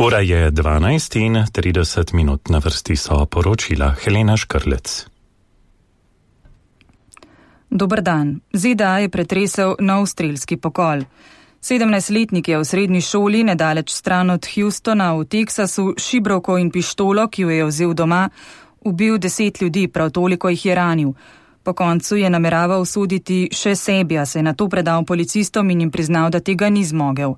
Ura je 12:30, na vrsti so poročila Helena Škrlec. Dober dan. ZDA je pretresel nov strelski pokol. 17-letnik je v srednji šoli, nedaleč stran od Houstona v Teksasu, šibrovko in pištolo, ki jo je vzel doma, ubil 10 ljudi, prav toliko jih je ranil. Po koncu je nameraval soditi še sebi, a se je nato predal policistom in jim priznal, da tega ni zmogel.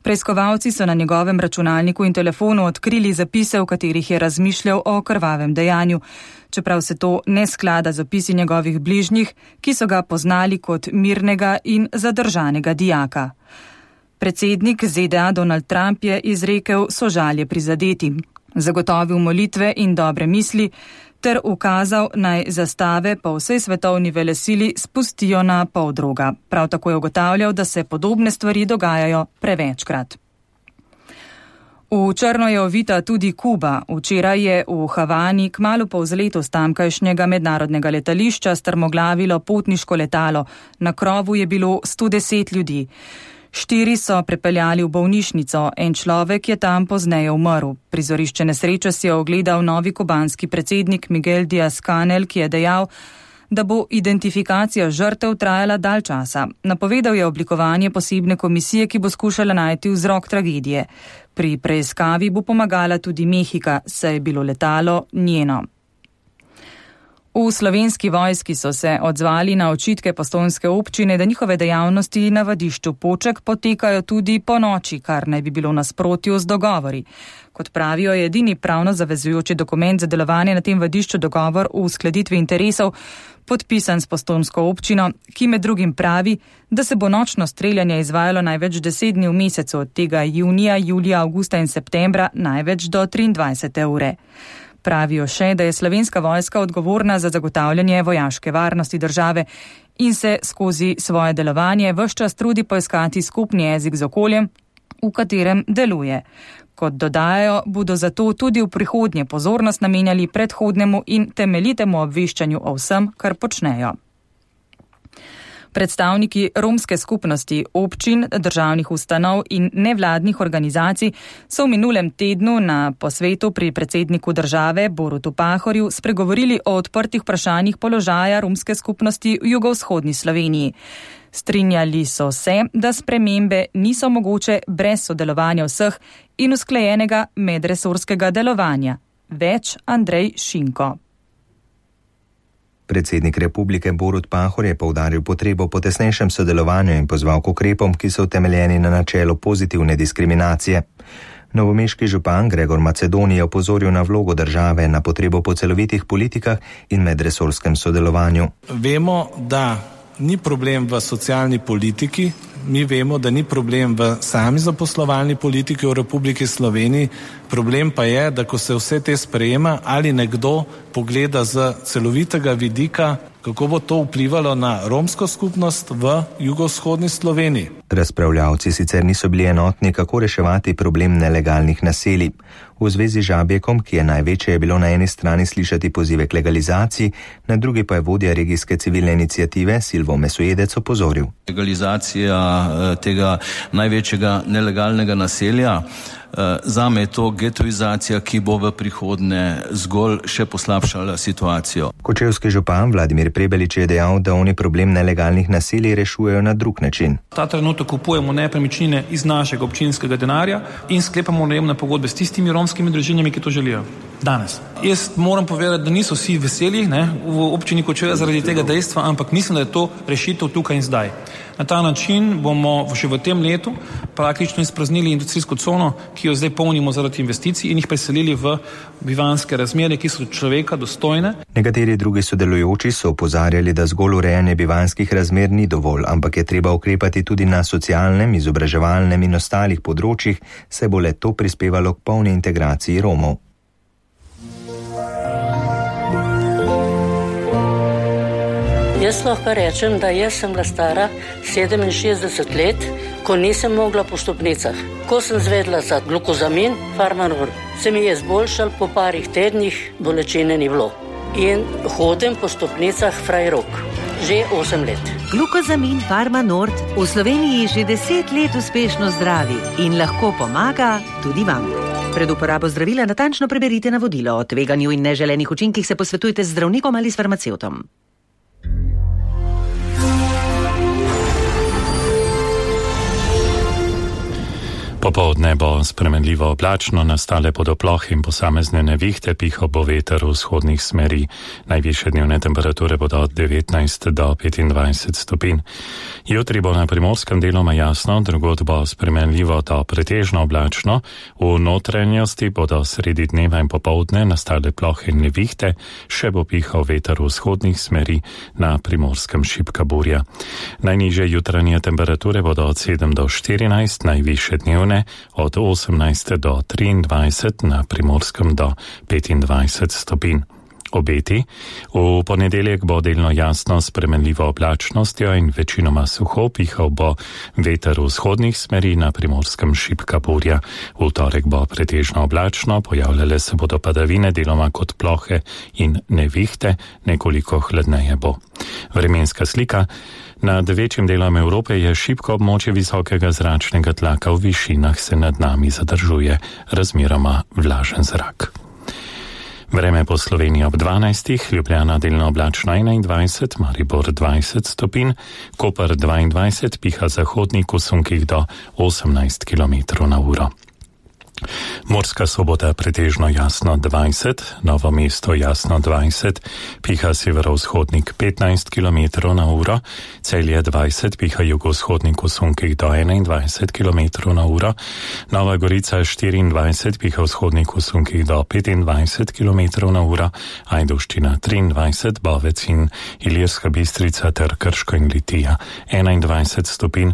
Preiskovalci so na njegovem računalniku in telefonu odkrili zapise, v katerih je razmišljal o krvavem dejanju, čeprav se to ne sklada z opisi njegovih bližnjih, ki so ga poznali kot mirnega in zadržanega dijaka. Predsednik ZDA Donald Trump je izrekel sožalje prizadetim, zagotovil molitve in dobre misli ter ukazal, naj zastave po vsej svetovni velesili spustijo na poldroga. Prav tako je ugotavljal, da se podobne stvari dogajajo prevečkrat. V črno je ovita tudi Kuba. Včeraj je v Havani kmalu po vzletu s tamkajšnjega mednarodnega letališča strmoglavilo potniško letalo. Na krovu je bilo 110 ljudi. 4 so prepeljali v bolnišnico, en človek je tam pozneje umrl. Prizorišče nesreče si je ogledal novi kubanski predsednik Miguel Díaz-Canel, ki je dejal, da bo identifikacija žrtev trajala dalj časa. Napovedal je oblikovanje posebne komisije, ki bo skušala najti vzrok tragedije. Pri preiskavi bo pomagala tudi Mehika, saj je bilo letalo njeno. V Slovenski vojski so se odzvali na očitke postojnske občine, da njihove dejavnosti na vadišču Poček potekajo tudi po noči, kar naj bi bilo v nasprotju z dogovori. Kot pravijo, je edini pravno zavezujoči dokument za delovanje na tem vadišču dogovor v uskladitvi interesov, podpisan s postojnsko občino, ki med drugim pravi, da se bo nočno streljanje izvajalo največ 10 dni v mesecu, od tega junija, julija, avgusta in septembra največ do 23. ure. Pravijo še, da je Slovenska vojska odgovorna za zagotavljanje vojaške varnosti države in se skozi svoje delovanje ves čas trudi poiskati skupni jezik z okoljem, v katerem deluje. Kot dodajajo, bodo zato tudi v prihodnje pozornost namenjali predhodnemu in temeljitemu obveščanju o vsem, kar počnejo. Predstavniki romske skupnosti, občin, državnih ustanov in nevladnih organizacij so v minulem tednu na posvetu pri predsedniku države Borutu Pahorju spregovorili o odprtih vprašanjih položaja romske skupnosti v jugovzhodni Sloveniji. Strinjali so se, da spremembe niso mogoče brez sodelovanja vseh in usklajenega medresorskega delovanja. Več Andrej Šinko. Predsednik republike Borut Pahor je poudaril potrebo po tesnejšem sodelovanju in pozval k ukrepom, ki so utemeljeni na načelu pozitivne diskriminacije. Novomeški župan Gregor Macedoni je opozoril na vlogo države, na potrebo po celovitih politikah in medresorskem sodelovanju. Vemo, da ni problem v socialni politiki, mi vemo, da ni problem v sami zaposlovalni politiki v Republiki Sloveniji, problem pa je, da ko se vse te sprejema, ali nekdo pogleda z celovitega vidika, kako bo to vplivalo na romsko skupnost v jugovzhodni Sloveniji. Razpravljavci sicer niso bili enotni, kako reševati problem nelegalnih naselij. V zvezi z Žabjekom, ki je največje, je bilo na eni strani slišati pozive k legalizaciji, na drugi pa je vodja regijske civilne iniciative Silvo Mesojedec opozoril. Legalizacija tega največjega nelegalnega naselja, zame je to getoizacija, ki bo v prihodnje zgolj še poslabšala situacijo. Kočevski župan Vladimir Prebelič je dejal, da oni problem nelegalnih naselij rešujejo na drug način. Ta trenutek kupujemo nepremičnine iz našega občinskega denarja in sklepamo najemne pogodbe s tistimi romskimi družinami, ki to želijo. Danes. Jaz moram povedati, da niso vsi veseli v občini Kočevje zaradi tega dejstva, ampak mislim, da je to rešitev tukaj in zdaj. Na ta način bomo še v tem letu praktično izpraznili industrijsko cono, ki jo zdaj polnimo zaradi investicij in jih preselili v bivanjske razmere, ki so človeka dostojne. Nekateri drugi sodelujoči so opozarjali, da zgolj urejanje bivanjskih razmer ni dovolj, ampak je treba ukrepati tudi na socialnem, izobraževalnem in ostalih področjih, saj bo le to prispevalo k polni integraciji Romov. Jaz lahko rečem, da jaz sem bila stara 67 let, ko nisem mogla po stopnicah. Ko sem zvedla za glukozamin, Farmanor, se mi je zboljšal, po parih tednih bolečine ni bilo. In hodim po stopnicah Frajrok. Že 8 let. Glukozamin Farmanord v Sloveniji že 10 let uspešno zdravi in lahko pomaga tudi vam. Pred uporabo zdravila natančno preberite navodilo. O tveganju in neželenih učinkih se posvetujte z zdravnikom ali s farmacevtom. Popoldne bo spremenljivo oblačno, nastale bodo plohe in posamezne nevihte, pihal bo veter v vzhodnih smeri. Najvišje dnevne temperature bodo od 19 do 25 stopinj. Jutri bo na primorskem deloma jasno, drugod bo spremenljivo do pretežno oblačno, v notranjosti bodo sredi dneva in popoldne nastale plohe in nevihte, še bo pihal veter v vzhodnih smeri, na primorskem šibka burja. Najnižje jutranje temperature bodo od 7 do 14, najvišje dnevne od 18 do 23, na primorskem do 25 stopinj. Obeti. V ponedeljek bo delno jasno s spremenljivo oblačnostjo in večinoma suho, pihal bo veter v vzhodnih smeri, na primorskem šibka burja. V torek bo pretežno oblačno, pojavljale se bodo padavine, deloma kot plohe in nevihte, nekoliko hladneje bo. Vremenska slika. Nad večjim delom Evrope je šibko območje visokega zračnega tlaka, v višinah se nad nami zadržuje razmeroma vlažen zrak. Vreme po Sloveniji ob 12, Ljubljana delno oblačno 21, Maribor 20 stopinj, Koper 22, piha zahodnik v sunkih do 18 km/h. Murska Sobota pretežno jasno 20, Novo mesto jasno 20, piha severovzhodnik 15 km/h, Celje 20, piha jugovzhodnik v sunkih do 21 km/h, Nova Gorica 24, piha vzhodnik v sunkih do 25 km/h, Ajdovščina 23, Bovec in Ilirska Bistrica ter Krško in Litija 21 stopinj.